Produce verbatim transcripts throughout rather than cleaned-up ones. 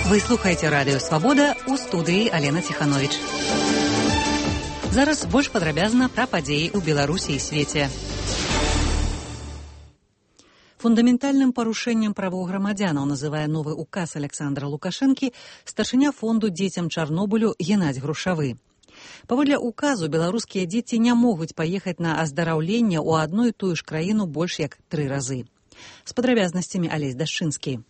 Вы слухаеце радыё «Свабода», у студыі Алена Ціхановіч. Зараз больш падрабязна пра падзеі ў Беларусі і свеце. Фундаментальным парушэннем правоў грамадзянаў называе новы указ Александра Лукашэнкі старшыня фонду дзецям Чарнобылю Геннадзь Грушавы. Паводле указу беларускія дзеці не могуць паехаць на аздараўленне ў адну і тую ж краіну больш як тры разы. З падрабязнасцямі Алесь Дашчынскі.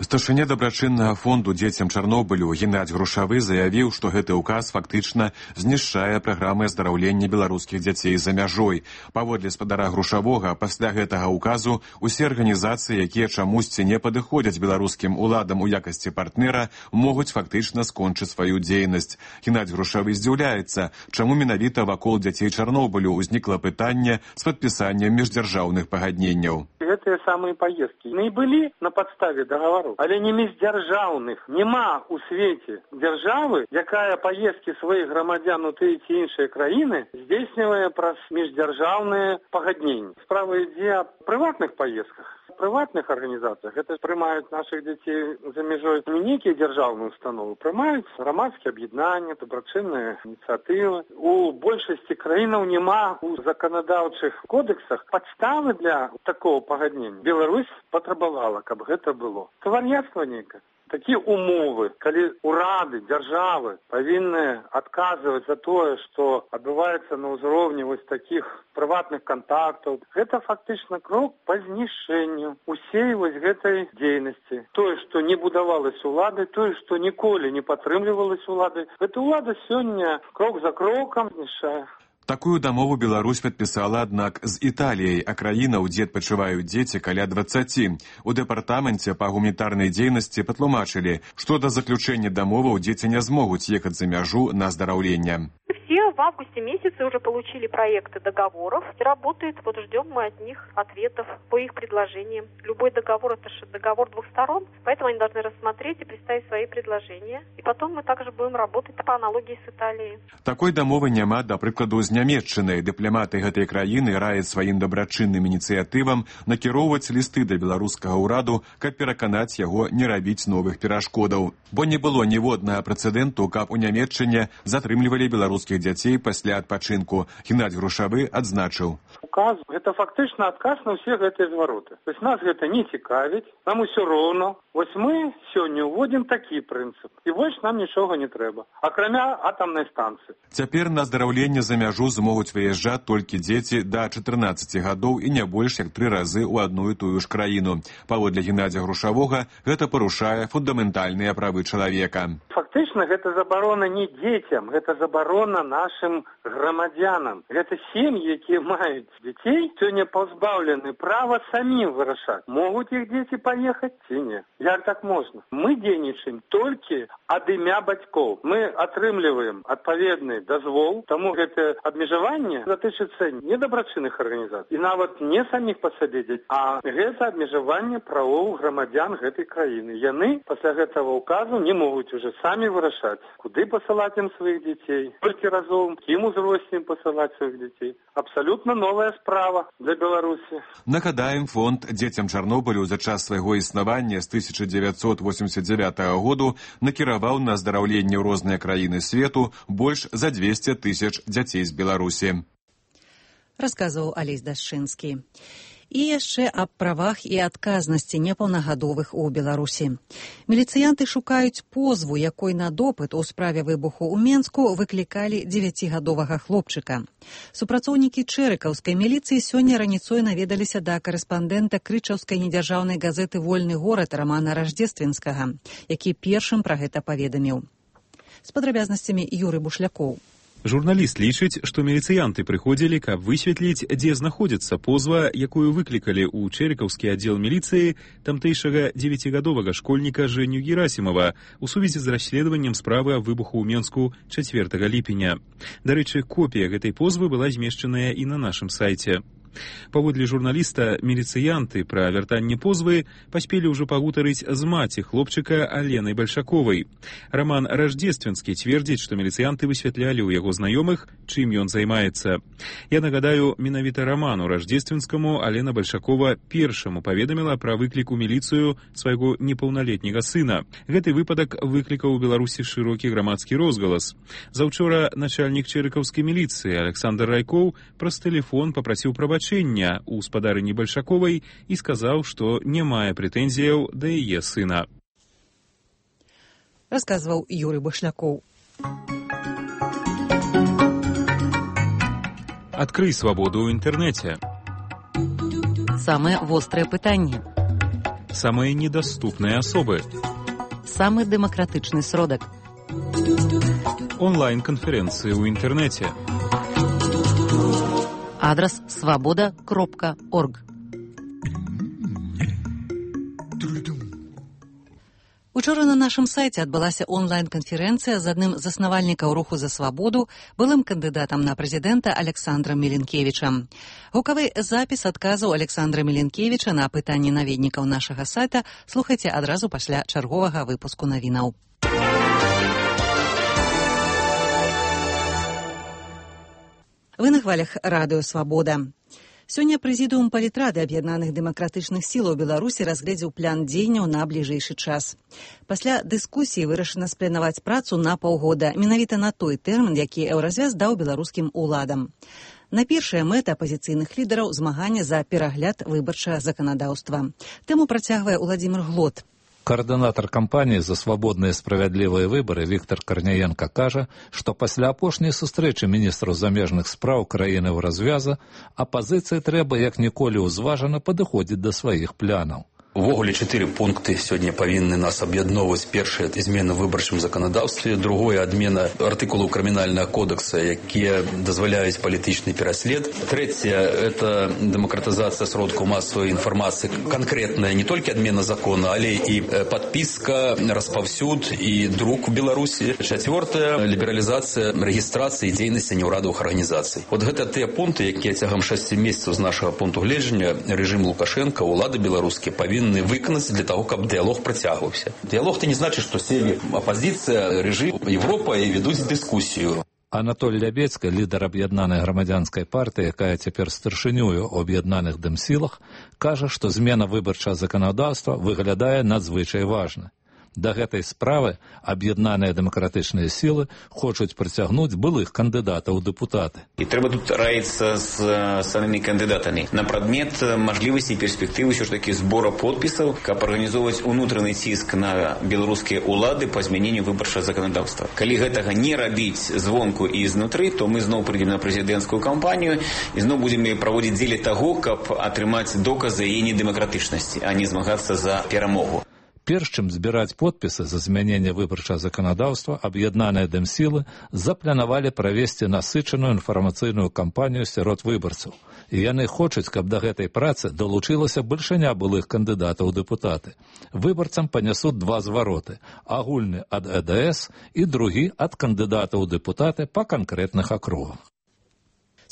Старшыня дабрачыннага фонду дзецям Чарнобылю Геннадзь Грушавы заявіў, што гэты ўказ фактычна знішчае праграмы аздараўлення беларускіх дзяцей за мяжой. Паводле спадара Грушавога, пасля гэтага ўказу усе арганізацыі, якія чамусьці не падыходзяць беларускім уладам у якасці партнера, могуць фактычна скончыць сваю дзейнасць. Геннадзь Грушавы здзіўляецца, чаму менавіта вакол дзяцей Чарнобылю ўзнікла пытанне з падпісаннем міждзяржаўных пагадненняў. Гэтыя самыя паездкі не былі на падставе дагавору, але не міждзяржаўных. Няма ў свеце дзяржавы, якая паездкі сваіх грамадзян у тыя ці іншыя краіны здзейснівае праз міждзяржаўныя пагадненні. Справа ідзе аб прыватных паездках. В прыватных арганізацыях гэта прымаюць нашых дзяцей за мяжой не нейкія дзяржаўныя установы, прымаюць грамадскія аб'яднанні, дабрачынныя ініцыятывы. У большасці краінаў няма у заканадаўчых кодексах падставы для такого пагаднення. Беларусь патрабавала, каб гэта было. Кавар'яцтва нейкае. Такія умовы, калі урады, дзяржавы павінны адказваць за тое, што адбываецца на ўзроўні вось такіх прыватных кантактаў, гэта фактычна крок па знішчэнню усей вось гэтай дзейнасці. Тое, што не будавалась улады, тое, што ніколі не падтрымлівалась улады, гэта ўлада сёння крок за крокам знішчае. Такую дамову Беларусь падпісала, аднак, з Італіяй, а краінаў, дзе адпачываюць дзеці, каля дваццаці. У дэпартаменце па гуманітарнай дзейнасці патлумачылі, што да заключэння дамоваў дзеці не змогуць ехаць за мяжу на аздараўленне. Все в августе месяце уже получили проекты договоров. Работает, вот ждем мы от них ответов по их предложениям. Любой договор — это же договор двух сторон, поэтому они должны рассмотреть и представить свои предложения. И потом мы также будем работать по аналогии с Италией. Такой дамовы няма, да прыкладу, з Нямецчынай. Дыпламаты гэтай краіны раяць сваім дабрачынным ініцыятывам накіроўваць лісты да беларускага ўраду, каб пераканаць яго не рабіць новых перашкодаў. Бо не было ніводнага прэцэдэнту, каб у Нямецчыне затрымлівалі беларускіх дзяцей пасля адпачынку. Геннадзь Грушавы адзначыў. Указ – гэта фактычна адказ на ўсе гэтыя звароты. То есть нас гэта не цікавіць, нам усё роўна. Вось мы сёння ўводзім такі прынцып. І больш нам нічога не трэба, акрамя атамнай станцыі. Цяпер на аздараўленне за мяжу змогуць выязджаць толькі дзеці да чатырнаццаці гадоў і не больш як тры разы ў адну і тую ж краіну. Паводле Геннадзя Грушавога, гэта парушае фундаментальныя правы чалавека. Фактычна гэта забарона не дзецям, гэта забарона нашым грамадзянам. Гэта сем'і, якія маюць дзяцей, сёння пазбаўлены права самім вырашаць, могуць іх дзеці паехаць ці не. Як так можна? Мы дзейнічаем толькі ад імя бацькоў. Мы атрымліваем адпаведны дазвол, таму гэтае абмежаванне датычыцца не дабрачынных арганізацый і нават не саміх па сабе дзяцей, а гэта абмежаванне правоў грамадзян гэтай краіны. Яны пасля гэтага ўказу не могуць уже самі вырашаць, куды пасылаць ім сваіх дзяцей, колькі разоў, кім узросце ім пасылаць сваіх дзяцей. Абсалютна новая справа для Беларусі. Нагадаем, фонд дзецям Чарнобылю за час свайго існавання з тысяча дзевяцьсот восемьдесят девятого году накіраваў на аздараўленне ў розныя краіны свету больш за двести тысяч дзяцей з Беларусі. Расказваў Алесь Дашчынскі. І яшчэ аб правах і адказнасці непаўнагадовых у Беларусі. Міліцыянты шукаюць позву, якой на допыт у справе выбуху ў Менску выклікалі дзевяцігадовага хлопчыка. Супрацоўнікі чэрыкаўскай міліцыі сёння раніцой наведаліся да карэспандэнта крычаўскай недзяржаўнай газеты «Вольны горад» Рамана Раждзественскага, які першым пра гэта паведаміў. З падрабязнасцямі Юры Бушлякоў. Журналіст лічыць, што міліцыянты прыходзілі, каб высветліць, дзе знаходзіцца позва, якую выклікалі ў чэрыкаўскі аддзел міліцыі тамтэйшага дзевяцігадовага школьніка Жэню Герасімова у сувязі з расследаваннем справы аб выбуху ў Менску чацвёртага ліпеня. Дарэчы, копія гэтай позвы была змешчаная і на нашым сайце. Паводле журналіста, міліцыянты пра вяртанне позвы паспелі ўжо пагутарыць з маці хлопчыка Аленай Бальшаковай. Роман Рождественскі цвердзіць, што міліцыянты высвятлялі ў яго знаёмых, чым ён займаецца. Я нагадаю, менавіта Роману Рождественскаму Алена Бальшакова першаму паведаміла пра выклік у міліцыю свайго непаўналетняга сына. Гэты выпадак выклікаў у Беларусі шырокі грамадскі розгалас. Заўчора начальнік чэрыкаўскай міліцыі Александр Райкоў праз тэлефон папрасіў прабачэння у спадарыні Бальшаковай і сказаў, што не мае прэтэнзіяў да яе сына. Расказваў Юрый Башлякоў. Адкрый свабоду ў інтэрнэце. Самыя вострыя пытанні. Самыя недаступныя асобы. Самы дэмакратычны сродак. Онлайн-канферэнцыі ў інтэрнэце. Адрас свабода кропка орг. Учора на нашым сайце адбылася онлайн-канферэнцыя з адным з заснавальнікаў руху за свабоду, былым кандыдатам на прэзідэнта Александрам Міленкевічам. Гукавы запіс адказаў Александра Міленкевіча на пытанні наведнікаў нашага сайта слухайце адразу пасля чарговага выпуску навінаў. Вы на хвалях радыё «Свабода». Сёння прэзідыум палітрады аб'яднаных дэмакратычных сілаў Беларусі разгледзеў план дзеянняў на бліжэйшы час. Пасля дыскусіі вырашана спланаваць працу на паўгода, менавіта на той тэрмін, які еўразвяз даў беларускім уладам. Найпершая мэта апазіцыйных лідараў змагання за перагляд выбарчага заканадаўства. Тэму працягвае Уладзімір Глот. Координатор кампании за свободные и справедливые выборы Виктор Корняенко кажа, што пасля апошняй сустрэчы міністраў замежных спраў краіны ў развяза апазіцыі трэба як ніколі ўзважана падыходзіць да сваіх планаў. Увогуле чатыры пункты сёння павінны нас аб'ядноўваць. Першае – змена ў выбарчым заканадаўстве, другое – адмена артыкулаў крымінальнага кодекса, якія дазваляюць палітычны пераслед. Трэцяе – это дэмакратызацыя сродкаў масавай інфармацыі, канкрэтная не толькі адмена закона, але і падпіска, распаўсюд і друк у Беларусі. Чацвёртае – лібералізацыя рэгістрацыі і дзейнасці няўрадавых арганізацый. От гэта тыя пункты, якія цягам шасці месяцаў з нашага пункту гледжання рэжым Лукашенка, улады беларускія павінны выканаць для того, каб дыялог працягваўся. Дыялог это не значыць, што селі апазіцыя, рэжым, Европа і ведуць дыскусію. Анатоль Лябецька, лідар аб'яднанай грамадзянскай партыі, якая цяпер старшынёю ў аб'яднаных дэмсілах, кажа, што змена выбарчага заканадаўства выглядае надзвычай важна. Да гэтай справы аб'яднаныя дэмакратычныя сілы хочуць прыцягнуць былых кандыдатаў у дэпутаты. І трэба тут раіцца з самымі кандыдатамі на прадмет мажлівасці і перспектывы ўсё ж такі збора подпісаў, каб арганізоўваць унутраны ціск на беларускія ўлады па змяненню выбарчага заканадаўства. Калі гэтага не рабіць звонку і знутры, то мы зноў прыйдзем на прэзідэнцкую кампанію і зноў будзем праводзіць дзеля таго, каб атрымаць доказы яе недэмакратычнасці, а не змагацца за перамогу. Перш чым збіраць подпісы за змяненне выбарчага заканадаўства, аб'яднаныя дэмсілы запланавалі правесці насычаную інфармацыйную кампанію сярод выбарцаў. І яны хочуць, каб да гэтай працы далучылася бальшыня былых кандыдатаў у дэпутаты. Выбарцам панясуць два звароты – агульны ад э дэ эс і другі ад кандыдатаў у дэпутаты па канкрэтных акругах.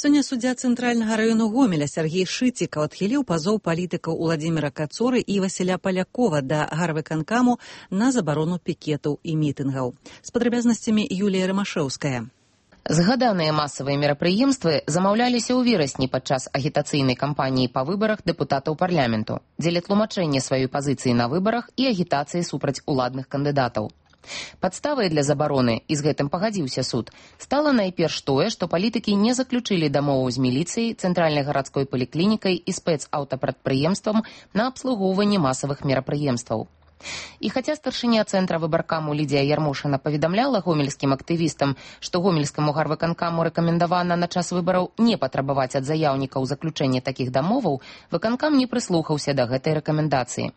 Сёння суддзя цэнтральнага раёну Гомеля Сергей Шыцікаў адхіліў пазоў палітыкаў Уладзіміра Кацоры і Васіля Палякова да гарвыканкаму на забарону пікетаў і мітынгаў. З падрабязнасцямі Юлія Рамашэўская. Згаданыя масавыя мерапрыемствы замаўляліся ў верасні падчас агітацыйнай кампаніі па выбарах дэпутатаў парламенту, дзеля тлумачэння сваёй пазіцыі на выбарах і агітацыі супраць уладных кандыдатаў. Падставай для забароны, і з гэтым пагадзіўся суд, стала найперш тое, што палітыкі не заключылі дамову з міліцыяй, цэнтральнай гарадской паліклінікай і спецаўтапрадпрыемствам на абслугоўванне масавых мерапрыемстваў. І хаця старшыня цэнтра выбаркаму Лідія Ярмошына паведамляла гомельскім актывістам, што гомельскаму гарвыканкаму рэкамендавана на час выбараў не патрабаваць ад заяўнікаў заключэння такіх дамоваў, выканкам не прыслухаўся да гэтай рэкамендацыі.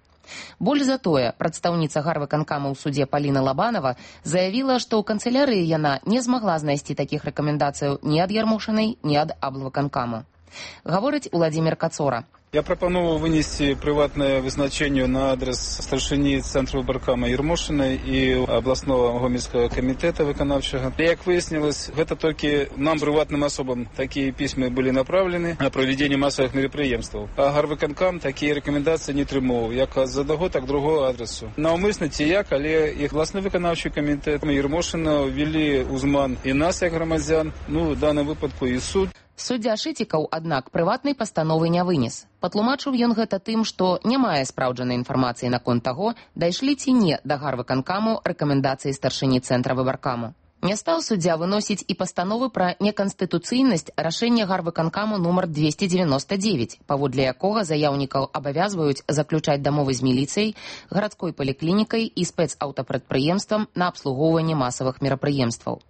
Больш за тое, прадстаўніца гарвыканкама ў судзе Паліна Лабанова заявіла, што ў канцылярыі яна не змагла знайсці такіх рэкамендацыяў ні ад Ярмошынай, ні ад аблвыканкаму. Гаворыць Уладзімір Кацора. Я пропоную вынести приватное вызначение на адрес старшини Центру выборкама Ермошиной и областного гомельского комитета виконавчего. Как выяснилось, это только нам, приватным особам, такие письма были направлены на проведение массовых мероприемств. А гарвиконкам такие рекомендации не тримав, як з одного, так другого адресу. Навмисно ті як, але і обласний виконавчий комітет Ермошина ввели узман і нас, як громадян, ну, в даному випадку і суд. Суддзя Шытікаў, аднак, прыватнай пастановы не вынес. Патлумачыў ён гэта тым, што не мае спраўджанай інфармацыі наконт таго, дайшлі ці не да гарвыканкаму рэкамендацыі старшыні Цэнтра выбаркаму. Не стаў суддзя выносіць і пастановы пра неканстытуцыйнасць рашэння гарвыканкаму нумар двести девяносто девять, паводле якога заяўнікаў абавязваюць заключаць дамовы з міліцыяй, гарадской паліклінікай і спецаўтапрадпрыемствам на абслугоўванне масавых мерапрыемстваў.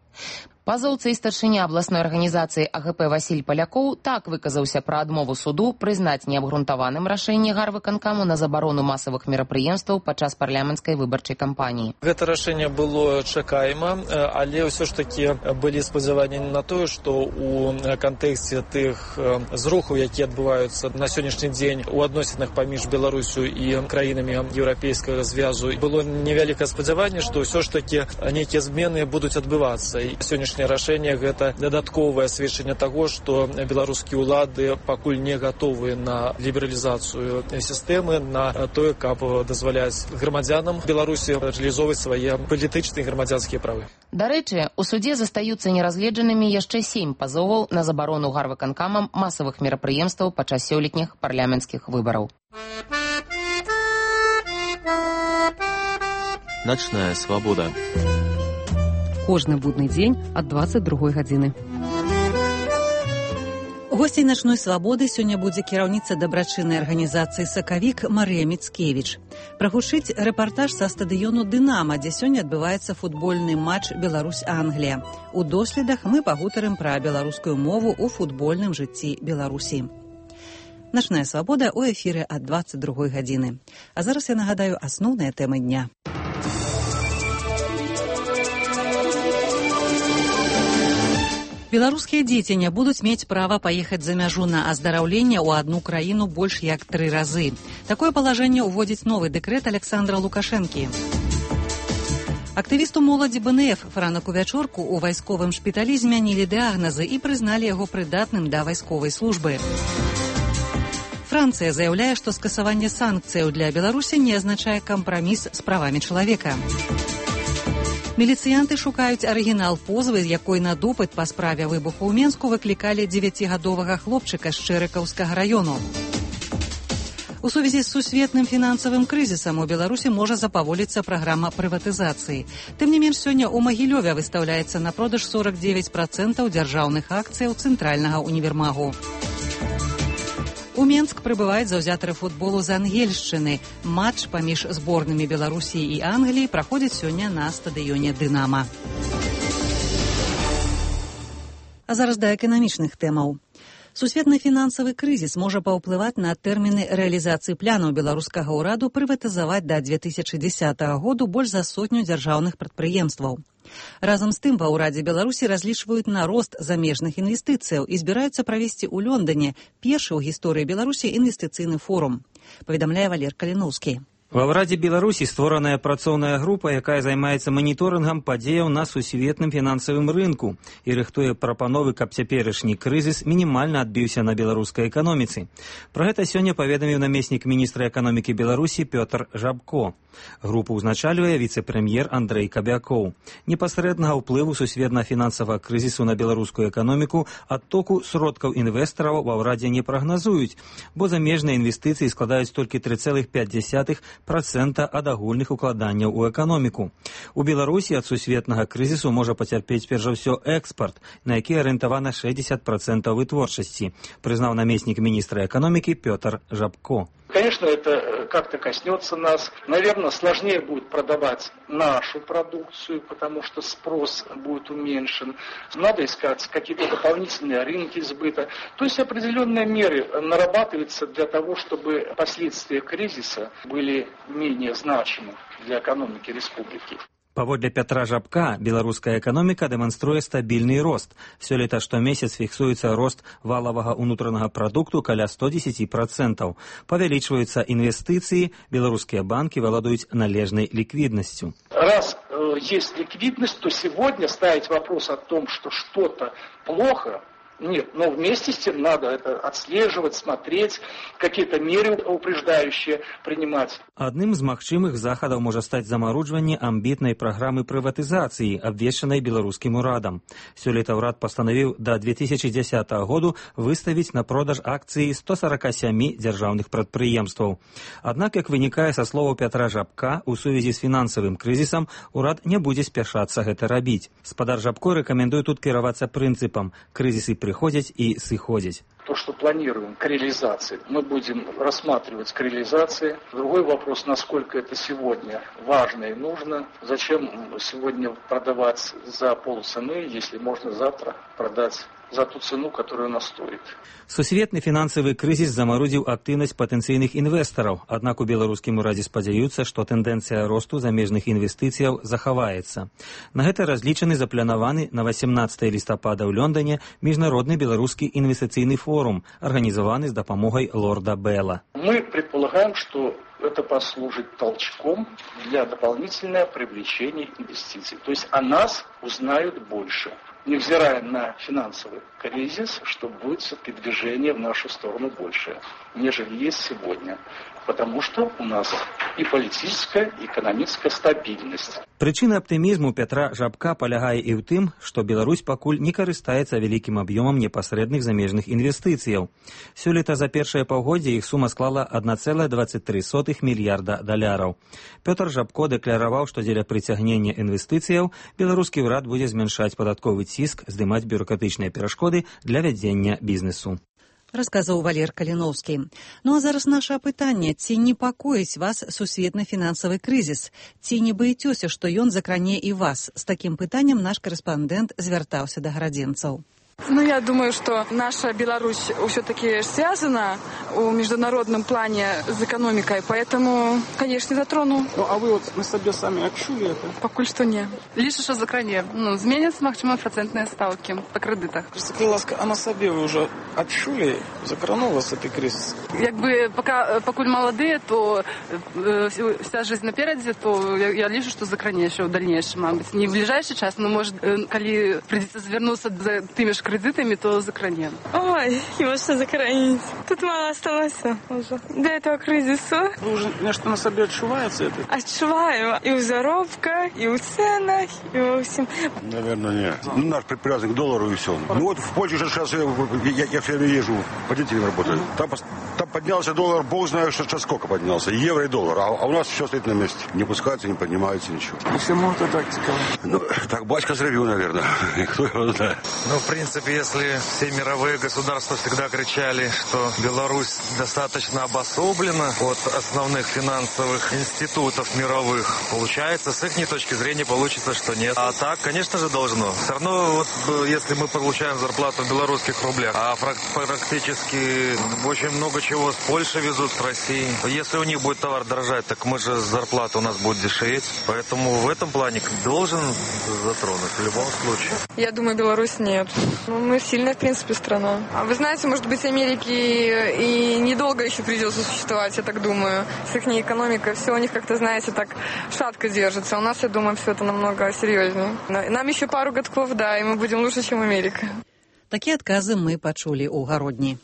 Пазоўца і старшыня абласной арганізацыі А Г П Васіль Палякоў так выказаўся пра адмову суду прызнаць неабгрунтаваным рашэнне гарвыканкаму на забарону масавых мерапрыемстваў падчас парламенцкай выбарчай кампаніі. Гэта рашэнне было чакаема, але ўсё ж такі былі спадзяванні на тое, што ў кантэксце тых зрухаў, якія адбываюцца на сённяшні дзень у адносінах паміж Беларусю і краінамі еўрапейскага звязу, было невялікае спадзяванне, што ўсё ж такі нейкія змены будуць адбывацца. І сённяшняе рашэнне гэта дадатковае сведчанне таго, што беларускія ўлады пакуль не гатовы на лібералізацыю сістэмы, на тое, каб дазваляць грамадзянам Беларусі рэалізоўваць свае палітычныя і грамадзянскія правы. Дарэчы, у судзе застаюцца неразгледжанымі яшчэ сем пазоваў на забарону гарвыканкамам масавых мерапрыемстваў падчас сёлетніх парламенцкіх выбараў. Начная свабода. Кожны будны дзень ад дваццаць другой гадзіны. Госцей начной свабоды сёння будзе кіраўніца дабрачыннай арганізацыі «Сакавік» Марыя Міцкевіч. Прагучыць рэпартаж са стадыёну «Дынама», дзе сёння адбываецца футбольны матч Беларусь-Англія. У доследах мы пагутарым пра беларускую мову ў футбольным жыцці Беларусі. Начная свабода ў эфіры ад дваццаць другой гадзіны. А зараз я нагадаю асноўныя тэмы дня. Беларускія дзеці не будуць мець права паехаць за мяжу на аздараўленне ў адну краіну больш як тры разы. Такое палажэнне ўводзіць новы дэкрэт Александра Лукашэнкі. Актывісту моладзі Б Н Ф Франаку Вячорку ў вайсковым шпіталі змянілі дыягназы і прызналі яго прыдатным да вайсковай службы. Францыя заяўляе, што скасаванне санкцыяў для Беларусі не азначае кампраміс з правамі чалавека. Міліцыянты шукаюць арыгінал позвы, з якой на допыт па справе выбуху ў Менску выклікалі дзевяцігадовага хлопчыка з Чэрыкаўскага раёну. У сувязі з сусветным фінансавым крызісам у Беларусі можа запаволіцца праграма прыватызацыі. Тым не менш, сёння ў Магілёве выстаўляецца на продаж сорок девять працэнтаў дзяржаўных акцыяў цэнтральнага універмагу. У Менск прыбываюць заўзятары футболу з Ангельшчыны. Матч паміж зборнымі Беларусі і Англіі праходзіць сёння на стадыёне «Дынама». А зараз да эканамічных тэмаў. Сусветны фінансавы крызіс можа паўплываць на тэрміны рэалізацыі планаў беларускага ўраду прыватызаваць да две тысячы дзесятага году больш за сотню дзяржаўных прадпрыемстваў. Разам з тым ва ўрадзе Беларусі разлічваюць на рост замежных інвестыцыяў і збіраюцца правесці ў Лондоне першы ў гісторыі Беларусі інвестыцыйны форум, паведамляе Валер Каліноўскі. Ва ўрадзе Беларусі створаная працоўная група, якая займаецца маніторынгам падзеяў на сусветным фінансавым рынку і рыхтуе прапановы, каб цяперашні крызіс мінімальна адбіўся на беларускай эканоміцы. Пра гэта сёння паведаміў намеснік міністра эканомікі Беларусі Пётр Жабко. Групу ўзначальвае віцэ-прэм'ер Андрэй Кабякоў. Непасрэднага ўплыву сусветна-фінансавага крызісу на беларускую эканоміку адтоку сродкаў інвестараў ва ўрадзе не прагназуюць, бо замежныя інвестыцыі складаюць толькі тры цэлых пяць дзесятых процента ад агульных укладанняў у эканоміку. У Беларусі ад сусветнага крызісу можа пацярпець перш за ўсё экспарт, на які арыентавана шэсцьдзесят процентаў вытворчасці, прызнаў намеснік міністра эканомікі Пётр Жабко. Конечно, это как-то коснется нас. Наверное, сложнее будет продавать нашу продукцию, потому что спрос будет уменьшен. Надо искать какие-то дополнительные рынки сбыта. То есть определенные меры нарабатываются для того, чтобы последствия кризиса были менее значимы для экономики республики. Паводле Пятра Жабка, беларуская эканоміка дэманструе стабільны рост. Сёлета штомесяц фіксуецца рост валавага ўнутранага прадукту каля сто дзесяць процентаў. Павялічваюцца інвестыцыі, беларускія банкі валадаюць належнай ліквіднасцю. Раз э, есть ликвидность, то сегодня ставить вопрос о том, что что-то плохо, нет, но вместе с тем надо это отслеживать, смотреть, какие-то меры упреждающие принимать. Адным з магчымых захадаў можа стаць замаруджванне амбітнай праграмы прыватызацыі, абвешчанай беларускім урадам. Сёлета ўрад пастанавіў да две тысячи дзесятага году выставіць на продаж акцыі сто сорок семь дзяржаўных прадпрыемстваў. Аднак, як вынікае са словаў Пятра Жабка, у сувязі з фінансавым крызісам урад не будзе спяшацца гэта рабіць. Спадар Жабко рэкамендуе тут кіравацца прынцыпам: крызісы приходят и сыходят. То, что планируем к реализации, мы будем рассматривать к реализации. Другой вопрос, насколько это сегодня важно и нужно. Зачем сегодня продавать за полцены, если можно завтра продать за ту цену, которая она стоит. Сусветны фінансавы крызіс замарудзіў актыўнасць патэнцыйных інвестараў, аднак у беларускім урадзе спадзяюцца, што тэндэнцыя росту замежных інвестыцыяў захаваецца. На гэта разлічаны запланаваны на восемнадцатое лістапада ў Лондоне міжнародны беларускі інвестыцыйны форум, арганізаваны з дапамогай лорда Белла. Мы предполагаем, что это послужит толчком для дополнительного привлечения инвестиций. То есть о нас узнают больше, невзирая на финансовый кризис, что будет все-таки движение в нашу сторону больше, нежели есть сегодня. Потому что у нас и политическая, и экономическая стабильность. Прычына аптымізму Пятра Жабка палягае і ў тым, што Беларусь пакуль не карыстаецца вялікім аб'ёмам непасрэдных замежных інвестыцыяў. Сёлета за першае паўгоддзе іх сума склала адна цэлая дваццаць тры сотых мільярда даляраў. Пётр Жабко дэкляраваў, што дзеля прыцягнення інвестыцыяў беларускі ўрад будзе змяншаць падатковы ціск, здымаць бюрократычныя перашкоды для вядзення бізнесу. Расказаў Валер Каліноўскі. Ну а зараз наша пытанне: ці непакоіць вас сусветны фінансавы крызіс? Ці не баіцёся, што ён закране і вас? З такім пытаннем наш корэспандэнт звяртаўся да гарадзенцаў. Ну, я думаю, что наша Беларусь все-таки связана в международном плане с экономикой, поэтому, конечно, затрону. Ну, а вы вот на себе сами отчули это? Покуль что не. Лишь що закране. Ну, зменятся, максимум, процентные ставки по кредитах. Скажите, ласка, а на себе вы уже отчули? Закранул вас этот кризис? Якби, пока, покуль молодые, то э, вся жизнь напереди, то я, я лишу, что закране еще в дальнейшем, может быть. Не в ближайший час, но, может, э, коли придется завернуться за теми же кредитами, то закранем. Ой, его что закранить? Тут мало осталось уже. До этого кризиса. Вы уже нечто на себе отчуваете это? Отчуваю. И у заработка, и у ценах, и во всем. Наверное, нет. Ну, наш привязан к доллару и все. Ну вот в Польше же сейчас, я, я, я все время езжу, по детям работаю. Там, там поднялся доллар, бог знает, что сейчас сколько поднялся. Евро и доллар. А, а у нас все стоит на месте. Не пускается, не поднимается ничего. И всему это тактика? Ну, так батька зревью, наверное. Кто его знает. Ну, в принципе, если все мировые государства всегда кричали, что Беларусь достаточно обособлена от основных финансовых институтов мировых, получается, с их точки зрения получится, что нет. А так, конечно же, должно. Все равно, вот, если мы получаем зарплату в белорусских рублях, а практически очень много чего с Польши везут, с России. Если у них будет товар дорожать, так мы же зарплата у нас будет дешеветь. Поэтому в этом плане должен затронуть в любом случае. Я думаю, Беларусь нет. Ну, мы сильная, в принципе, страна. А вы знаете, может быть, Америке и недолго еще придется существовать, я так думаю. С их экономикой все у них как-то, знаете, так шатко держится. У нас, я думаю, все это намного серьезнее. Нам еще пару годков, да, и мы будем лучше, чем Америка. Такие отказы мы почули у Гародні.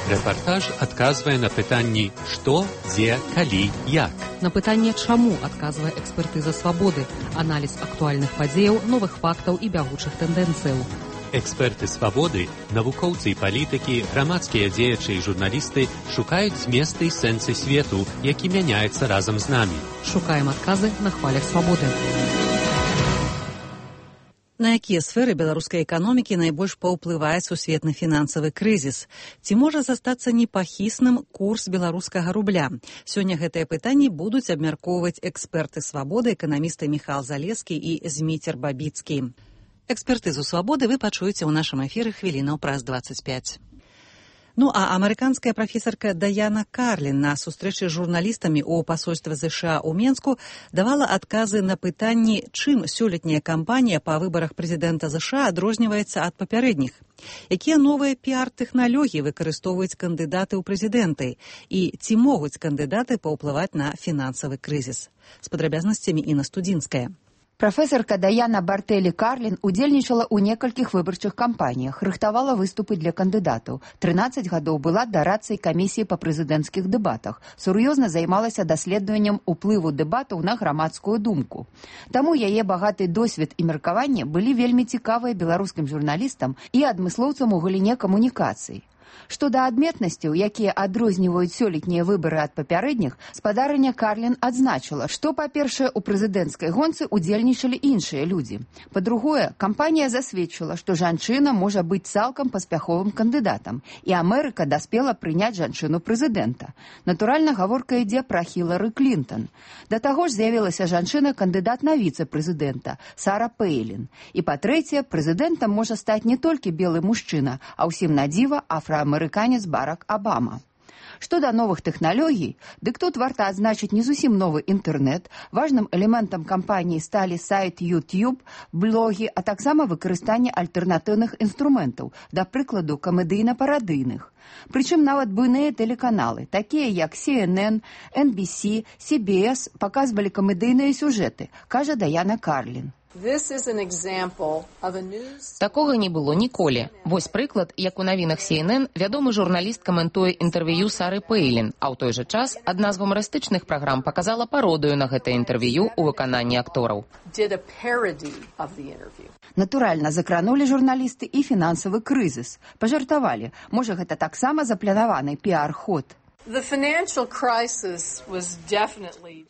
Рэпартаж адказвае на пытанні «Што, дзе, калі, як?». На пытанне «Чаму?» адказвае экспертыза «Свабоды», аналіз актуальных падзеяў, новых фактаў і бягучых тэндэнцыяў. Эксперты «Свабоды», навукоўцы і палітыкі, грамадскія дзеячы і журналісты шукаюць зместы і сэнсы свету, які мяняецца разам з намі. Шукаем адказы на хвалях «Свабоды». На якія сферы беларускай эканомікі найбольш паўплывае сусветны фінансавы крызіс? Ці можа застацца непахісным курс беларускага рубля? Сёння гэтыя пытанні будуць абмяркоўваць эксперты «Свабоды», эканамісты Міхал Залескі і Зміцер Бабіцкі. Экспертызу «Свабоды» вы пачуеце ў нашым эфіры хвілінаў праз дваццаць пяць. Ну а амерыканская прафесарка Даяна Карлін на сустрэчы з журналістамі ў пасольстве ЗША ў Менску давала адказы на пытанні, чым сёлетняя кампанія па выбарах прэзідэнта ЗША адрозніваецца ад папярэдніх. Якія новыя піар-тэхналогіі выкарыстоўваюць кандыдаты ў прэзідэнты і ці могуць кандыдаты паўплываць на фінансавы крызіс. З падрабязнасцямі Інна Студзінская. Прафесарка Даяна Бартэлі Карлін удзельнічала ў некалькіх выбарчых кампаніях, рыхтавала выступы для кандыдатаў. трынаццаць гадоў была дарадцай камісіі па прэзідэнцкіх дэбатах. Сур'ёзна займалася даследаваннем уплыву дэбатаў на грамадскую думку. Таму яе багаты досвед і меркаванне былі вельмі цікавыя беларускім журналістам і адмыслоўцам у галіне камунікацый. Што да адметнасцяў, якія адрозніваюць сёлетнія выбары ад папярэдніх, спадарыня Карлін адзначыла, што, па-першае, у прэзідэнцкай гонцы удзельнічалі іншыя людзі. Па-другое, кампанія засведчыла, што жанчына можа быць цалкам паспяховым кандыдатам, і Амерыка даспела прыняць жанчыну прэзідэнта. Натуральна, гаворка ідзе пра Хілары Клінтон. Да таго ж з'явілася жанчына-кандыдат на віцэ-прэзідэнта Сара Пэйлін. І, па-трэцяе, прэзідэнтам можа стаць не толькі белы мужчына, а ўсім на дзіва афраамерыканец амерыканец Барак Абама. Што да новых тэхналогій, дык тут варта адзначыць не зусім новы інтэрнэт. Важным элементам кампаніі сталі сайт YouTube, блогі, а таксама выкарыстанне альтэрнатыўных інструментаў, да прыкладу камедыйна-парадыйных. Прычым нават буйныя тэлеканалы, такія як Си Эн Эн, Эн Би Си, Си Би Эс паказвалі камедыйныя сюжэты, кажа Даяна Карлін. Такога не было ніколі. Вось прыклад, як у навінах Си Эн Эн вядомы журналіст каментуе інтэрв'ю Сары Пэйлін, а ў той жа час адна з гумарыстычных праграм паказала пародыю на гэтае інтэрв'ю ў выкананні актораў. Натуральна, закранулі журналісты і фінансавы крызіс. Пажартавалі, можа гэта таксама запланаваны піар-ход.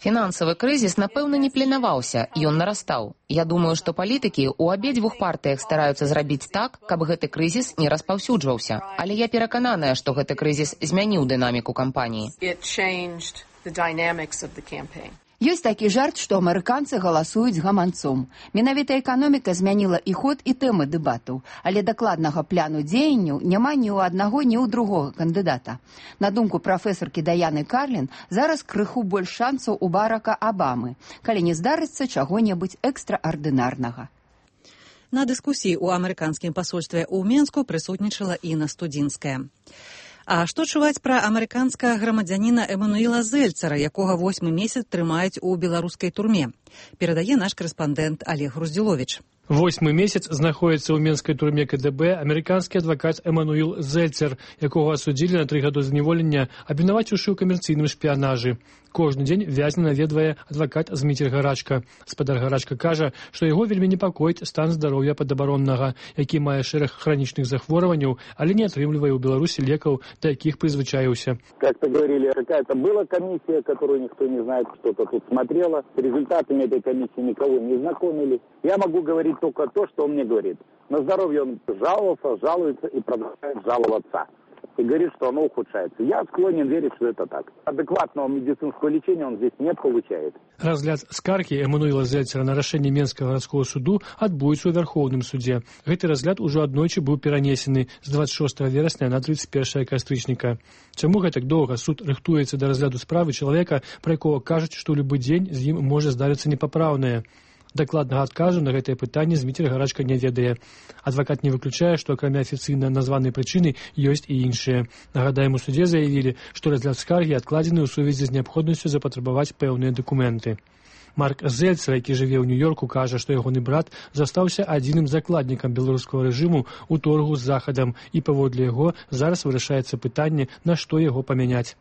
Фінансавы крызіс, напэўна, не планаваўся, ён нарастаў. Я думаю, што палітыкі ў абедзвюх партыях стараюцца зрабіць так, каб гэты крызіс не распаўсюджваўся. Але я перакананая, што гэты крызіс змяніў дынаміку кампаніі. Ёсць такі жарт, што амерыканцы галасуюць гаманцом. Менавіта эканоміка змяніла і ход, і тэмы дэбатаў, але дакладнага пляну дзеянняў няма ні ў аднаго, ні ў другога кандыдата. На думку прафесаркі Даяны Карлін, зараз крыху больш шансаў у Барака Абамы, калі не здарыцца чаго-небудзь экстраардынарнага. На дыскусіі ў амерыканскім пасольстве ў Менску прысутнічала Інна Студзінская. А што чуваць пра амерыканскага грамадзяніна Эмануіла Зельцара, якога восьмы месяц трымаюць у беларускай турме? Перадае наш карэспандэнт Олег Груздзіловіч. Восьмы месяц знаходіцца ў менскай турме Ка Дэ Бэ амерыканскі адвакат Эмануіл Зельцер, якога асудзілі на тры гады зняволення, абвінаваціўшы ў камерцыйным шпіянажы. Кожны дзень вязня наведвае адвакат Зміцер Гарачка. Спадар Гарачка кажа, што яго вельмі непакоіць стан здароўя падабароннага, які мае шэраг хранічных захворванняў, але не атрымлівае ў Беларусі лекаў, да якіх прызвычаіўся. Как-то говорили, какая-то была комиссия, которую никто не знает, кто-то тут смотрела. С результатами этой комиссии никого не знакомили. Я могу говорить только то, что он мне говорит. На здоровье он жаловался, жалуется и продолжает жаловаться. И говорит, что оно ухудшается. Я склонен верить, что это так. Адекватного медицинского лечения он здесь не получает. Разгляд скаргі Эмануіла Зельцера на рашэнне Менскага гарадскога суду адбудзецца ў Вярхоўным судзе. Гэты разгляд ужо аднойчы быў перанесены з дваццаць шостага верасня на трыццаць першае кастрычніка. Чаму гэтак доўга суд рыхтуецца да разгляду справы чалавека, пра якога кажуць, што ў любы дзень з ім можа здарыцца непапраўнае? Дакладнага адказу на гэтае пытанне Зміцер Гарачка не ведае. Адвакат не выключае, што акрамя афіцыйна названай прычыны ёсць і іншыя. Нагадаем, у судзе заявілі, што разгляд скаргі адкладзены ў сувязі з неабходнасцю запатрабаваць пэўныя дакументы. Марк Зельцер, які жыве ў Нью-Йорку, кажа, што ягоны брат застаўся адзіным закладнікам беларускага рэжыму ў торгу з Захадам, і паводле яго зараз вырашаецца пытанне, на што яго памяняць.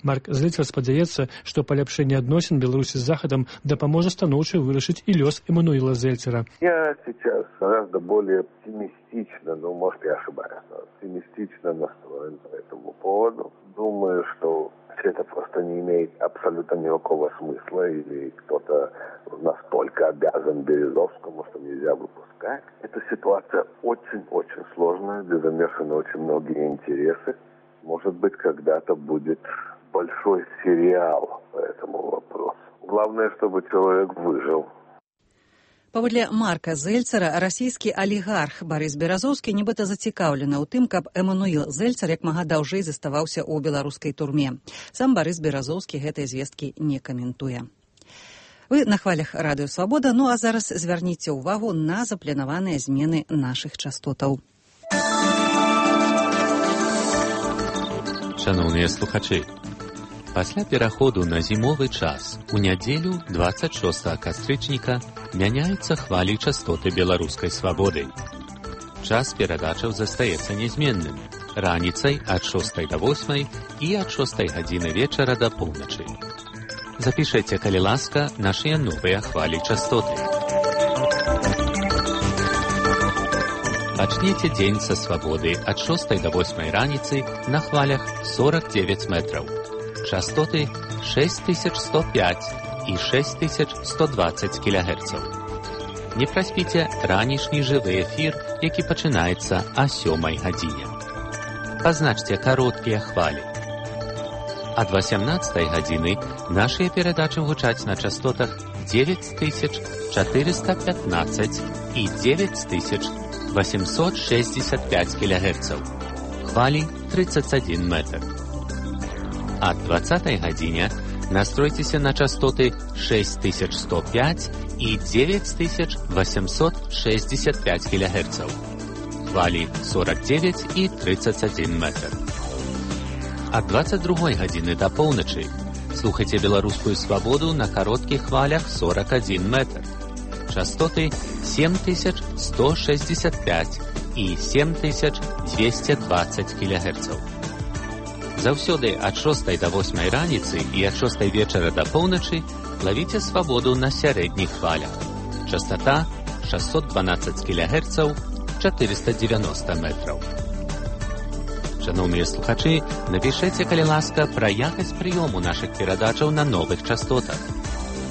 Марк Зельцер спадзяецца, што паляпшэнне адносін Беларусі з Захадам дапаможа станоўча вырашыць і лёс Эмануіла Зельцера. Я сейчас гораздо более оптимистично, ну, может, я ошибаюсь, но оптимистично настроен по этому поводу. Думаю, что все это просто не имеет абсолютно никакого смысла, или кто-то настолько обязан Березовскому, что нельзя выпускать. Эта ситуация очень-очень сложная, где замешаны очень многие интересы. Может быть, когда-то будет большой сериал по этому вопросу. Главное, чтобы человек выжил. Паводле Марка Зельцера, расійскі алігарх Барыс Беразоўскі нібыта зацікаўлены ў тым, каб Эмануіл Зельцер як мага даўжэй заставаўся ў беларускай турме. Сам Барыс Беразоўскі гэтай звесткі не каментуе. Вы на хвалях Радыё Свабода, ну а зараз звярніце ўвагу на запланаваныя змены нашых частотаў. Шановныя слухачы, пасля пераходу на зімовы час у нядзелю дваццаць шостага кастрычніка мяняюцца хвалі частоты беларускай свабоды. Час перадачаў застаецца нязменным, раніцай ад шостай да восьмай і ад шостай гадзіны вечара да поўначы. Запішайце, калі ласка, нашыя новыя хвалі частоты. Пачніце дзень са свабоды ад шостай да восьмай раніцы на хвалях сорок девять метраў. Частоты шесть тысяч сто пять і шесть тысяч сто двадцать кілогерцаў. Не праспіце ранішні жывы эфір, які пачынаецца о сёмай гадзіне. Пазначце кароткія хвалі. Ад васямнаццатай гадзіны нашыя перадачы гучаць на частотах девять тысяч четыреста пятнадцать і девять тысяч восемьсот шестьдесят пять кілогерцаў. Хвалі тридцать один метр. Ад двадцатай гадзіне настройцеся на частоты шесть тысяч сто пять і девять тысяч восемьсот шестьдесят пять кілогерцаў. Хвалі сорок девять і тридцать один метр. Ад двадцать другой гадзіны да поўначы слухайце беларускую свабоду на кароткіх хвалях сорок один метр. Частоты семь тысяч сто шестьдесят пять і семь тысяч двести двадцать кілогерцаў. Заўсёды ад шостай да восьмай раніцы і ад шостай вечара да поўначы лавіце свабоду на сярэдніх хвалях. Частота шестьсот двенадцать кілогерцаў, четыреста девяносто метраў. Шановныя слухачы, напішыце, калі ласка, пра якасць прыёму нашых перадачаў на новых частотах.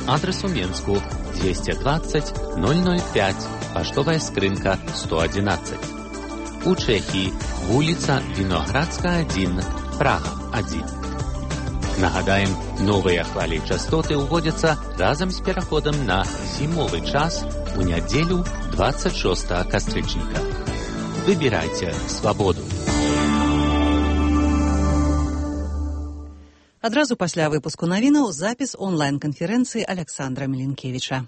Адрес у Менску двести двадцать ноль ноль пять, паштовая скрынка сто одиннадцать. У Чэхіі вуліца Віноградская один, Прага один. Нагадаем, новыя хвалі частоты ўводзяцца разам з пераходам на зімовы час у нядзелю двадцать шостага кастрычніка. Выбірайце свабоду. Адразу пасля выпуску навінаў запіс онлайн-канферэнцыі Аляксандра Міленкевіча.